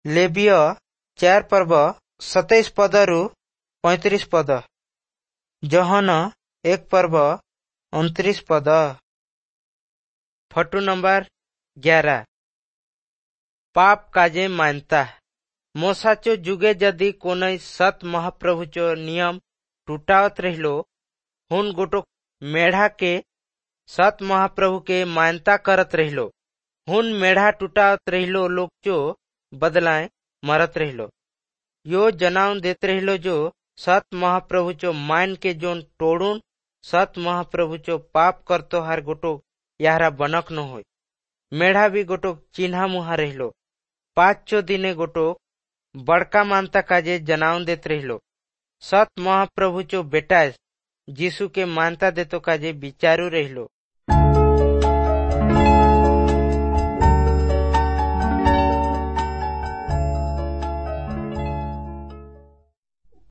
ଲେବୀୟ 4 ପର୍ବ 27 ପଦରୁ 35 ପଦ। ଯୋହନ 1 ପର୍ବ 29 ପଦ। Photo number 11। ପାପ କାଜେ ମାନ୍ୟତା। ମୋଶାଚो जुगे यदि कोनई सत महाप्रभुचो नियम टूटावत रहिलो, हुन गोटो मेढ़ा के सत महाप्रभु के मान्यता करत रहिलो। हुन मेढ़ा टूटावत रहिलो लोग चो बदलाए मरत रहिलो। यो जनाव देत रहिलो जो सत महाप्रभु चो मान के जोन तोड़ुन सत महाप्रभु चो पाप करतो हार गोटो याहरा बनक न होय। मेढ़ा भी गोटो चिन्हा मुहा रहिलो। 5 दिने गोटो बड़का मानता काजे जनाव देत रहिलो। सत महाप्रभु चो बेटा जीसु के मानता देतो काजे बिचारू रहिलो।